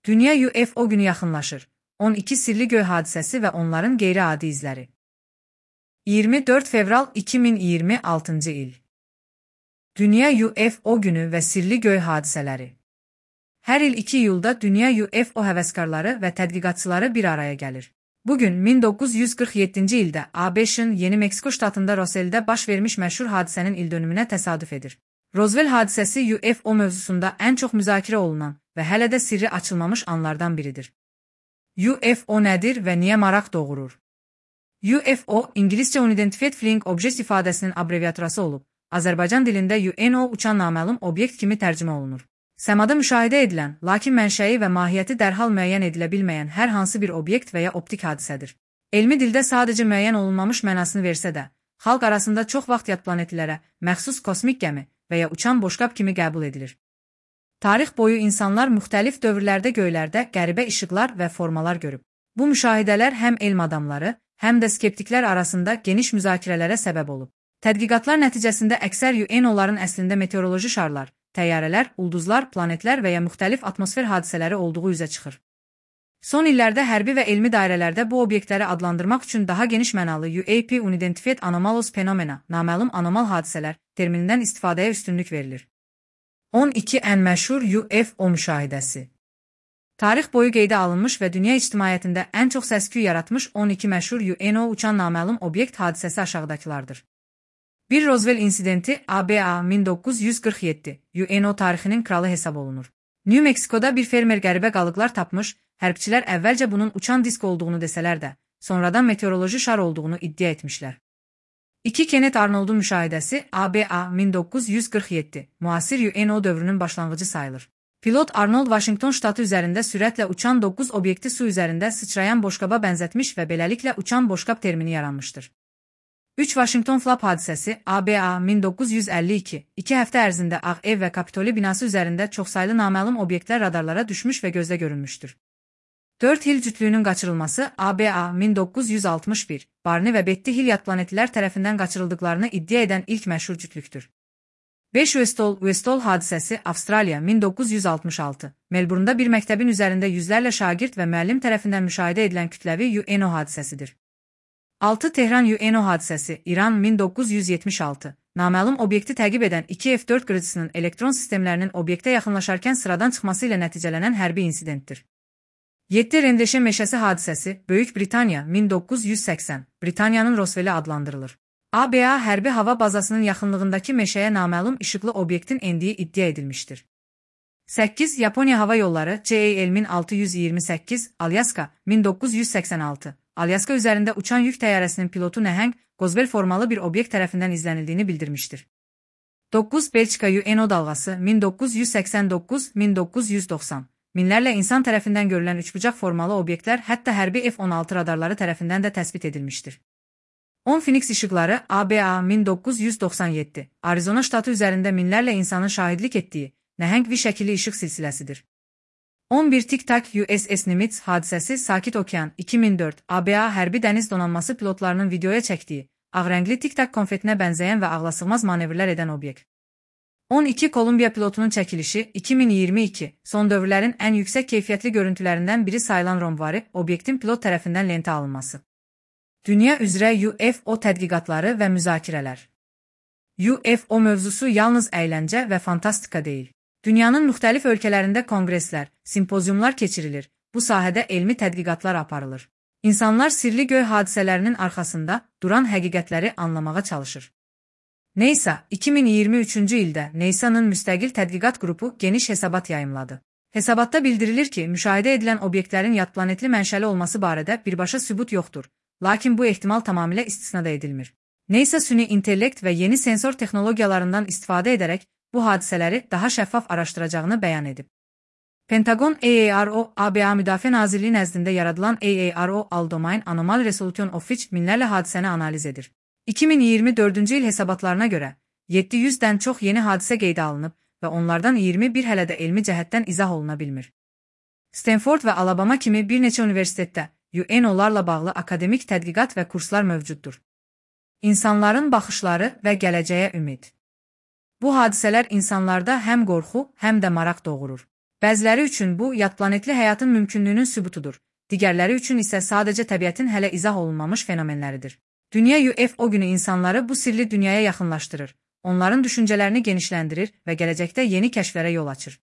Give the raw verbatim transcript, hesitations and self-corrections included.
Dünya U F O günü yaxınlaşır. on iki sirli göy hadisəsi və onların qeyri-adi izləri. iyirmi dörd fevral iki min iyirmi altıncı il. Dünya U F O günü və sirli göy hadisələri. Hər il iki iyulda Dünya U F O həvəskarları və tədqiqatçıları bir araya gəlir. Bugün min doqquz yüz qırx yeddinci ildə A B Ş'ın Yeni Meksiko ştatında Roswell'də baş vermiş məşhur hadisənin ildönümünə təsadüf edir. Roswell hadisəsi U F O mövzusunda ən çox müzakirə olunan və hələ də sirri açılmamış anlardan biridir. U F O nədir və niyə maraq doğurur? U F O, İngiliscə Unidentified Flying Object ifadəsinin abreviaturası olub, Azərbaycan dilində U N O uçan naməlum obyekt kimi tərcümə olunur. Səmada müşahidə edilən, lakin mənşəyi və mahiyyəti dərhal müəyyən edilə bilməyən hər hansı bir obyekt və ya optik hadisədir. Elmi dildə sadəcə müəyyən olunmamış mənasını versə də, xalq arasında çox vaxt yad planetlərə məxsus kosmik gəmi və ya uçan boşqab kimi qəbul edilir. Tarix boyu insanlar müxtəlif dövrlərdə göylərdə qəribə işıqlar və formalar görüb. Bu müşahidələr həm elm adamları, həm də skeptiklər arasında geniş müzakirələrə səbəb olub. Tədqiqatlar nəticəsində əksər U N O'ların əslində meteoroloji şarlar, təyyarələr, ulduzlar, planetlər və ya müxtəlif atmosfer hadisələri olduğu üzə çıxır. Son illərdə hərbi və elmi dairələrdə bu obyektləri adlandırmaq üçün daha geniş mənalı U A P Unidentified Anomalous Phenomena, naməlum anormal hadisələr terminindən istifadəyə üstünlük verilir. on iki ən məşhur U F O müşahidəsi. Tarix boyu qeydə alınmış və dünya ictimaiyyətində ən çox səs-küy yaratmış on iki məşhur U N O uçan naməlum obyekt hadisəsi aşağıdakılardır. bir Roswell insidenti A B A min doqquz yüz qırx yeddi U N O tarixinin kralı hesab olunur. New Meksikoda bir fermer qəribə qalıqlar tapmış, hərbçilər əvvəlcə bunun uçan disk olduğunu desələr də, sonradan meteoroloji şar olduğunu iddia etmişlər. iki Kenneth Arnold'un müşahidəsi A B A min doqquz yüz qırx yeddi müasir U N O dövrünün başlanğıcı sayılır. Pilot Arnold Washington ştatı üzərində sürətlə uçan doqquz obyekti su üzərində sıçrayan boşqaba bənzətmiş və beləliklə uçan boşqab termini yaranmışdır. üç Washington Flap hadisəsi A B A min doqquz yüz əlli iki iki həftə ərzində Ağ Ev və Kapitoli binası üzərində çoxsaylı naməlum obyektlər radarlara düşmüş və gözlə görünmüşdür. dörd Hill cütlüyünün qaçırılması A B A min doqquz yüz altmış bir Barney və Betty Hill yad planetlər tərəfindən qaçırıldıqlarını iddia edən ilk məşhur cütlükdür. beş Westall Westall hadisəsi Avstraliya min doqquz yüz altmış altı Melbourne'da bir məktəbin üzərində yüzlərlə şagird və müəllim tərəfindən müşahidə edilən kütləvi U N O hadisəsidir. altı Tehran U N O hadisəsi İran min doqquz yüz yetmiş altı naməlum obyekti təqib edən iki F dörd qırıcısının elektron sistemlərinin obyektə yaxınlaşarkən sıradan çıxması ilə nəticələnən hərbi insidentdir. yeddi Rendeşe meşəsi hadisəsi Böyük Britaniya min doqquz yüz səksən Britaniyanın Roswell'i adlandırılır. A B A hərbi hava bazasının yaxınlığındakı meşəyə naməlum işıqlı obyektin endiyi iddia edilmişdir. səkkiz Yaponiya Hava Yolları C A L min altı yüz iyirmi səkkiz Alyaska min doqquz yüz səksən altı Alyaska üzərində uçan yük təyyarəsinin pilotu nəhəng, qozbel formalı bir obyekt tərəfindən izlənildiyini bildirmişdir. doqquz Belçika U N O dalğası min doqquz yüz səksən doqquz min doqquz yüz doxsan Minlərlə insan tərəfindən görülən üçbucaq formalı obyektlər hətta hərbi F on altı radarları tərəfindən də təsbit edilmişdir. on Phoenix işıqları A B A min doqquz yüz doxsan yeddi Arizona ştatı üzərində minlərlə insanın şahidlik etdiyi nəhəng V şəkilli işıq silsiləsidir. on bir Tic-Tac U S S Nimitz hadisəsi Sakit Okean iki min dörd A B A hərbi dəniz donanması pilotlarının videoya çəkdiyi ağrəngli Tic-Tac konfetinə bənzəyən və ağlasığmaz manevrlər edən obyekt. on iki Kolumbiya pilotunun çəkilişi iki min iyirmi iki son dövrlərin ən yüksək keyfiyyətli görüntülərindən biri sayılan romvari obyektin pilot tərəfindən lentə alınması. Dünya üzrə U F O tədqiqatları və müzakirələr. U F O mövzusu yalnız əyləncə və fantastika deyil. Dünyanın müxtəlif ölkələrində konqreslər, simpoziumlar keçirilir, bu sahədə elmi tədqiqatlar aparılır. İnsanlar sirli göy hadisələrinin arxasında duran həqiqətləri anlamağa çalışır. NASA iki min iyirmi üçüncü ildə NASA'nın müstəqil tədqiqat qrupu geniş hesabat yayımladı. Hesabatda bildirilir ki, müşahidə edilən obyektlərin yad planetli mənşəli olması barədə birbaşa sübut yoxdur, lakin bu ehtimal tamamilə istisna da edilmir. NASA süni intellekt və yeni sensor texnologiyalarından istifadə edərək bu hadisələri daha şəffaf araşdıracağını bəyan edib. Pentagon A A R O, A B A Müdafiə Nazirliyi nəzdində yaradılan A A R O All-Domain Anomal Resolution Office minlərlə hadisəni analiz edir. iki min iyirmi dördüncü il hesabatlarına görə yeddi yüzdən çox yeni hadisə qeydə alınıb və onlardan iyirmi bir hələ də elmi cəhətdən izah oluna bilmir. Stanford və Alabama kimi bir neçə universitetdə U N O'larla bağlı akademik tədqiqat və kurslar mövcuddur. İnsanların baxışları və gələcəyə ümid. Bu hadisələr insanlarda həm qorxu, həm də maraq doğurur. Bəziləri üçün bu, yadplanetli həyatın mümkünlüyünün sübutudur. Digərləri üçün isə sadəcə təbiətin hələ izah olunmamış fenomenləridir. Dünya U F O günü insanları bu sirli dünyaya yaxınlaşdırır, onların düşüncələrini genişləndirir və gələcəkdə yeni kəşflərə yol açır.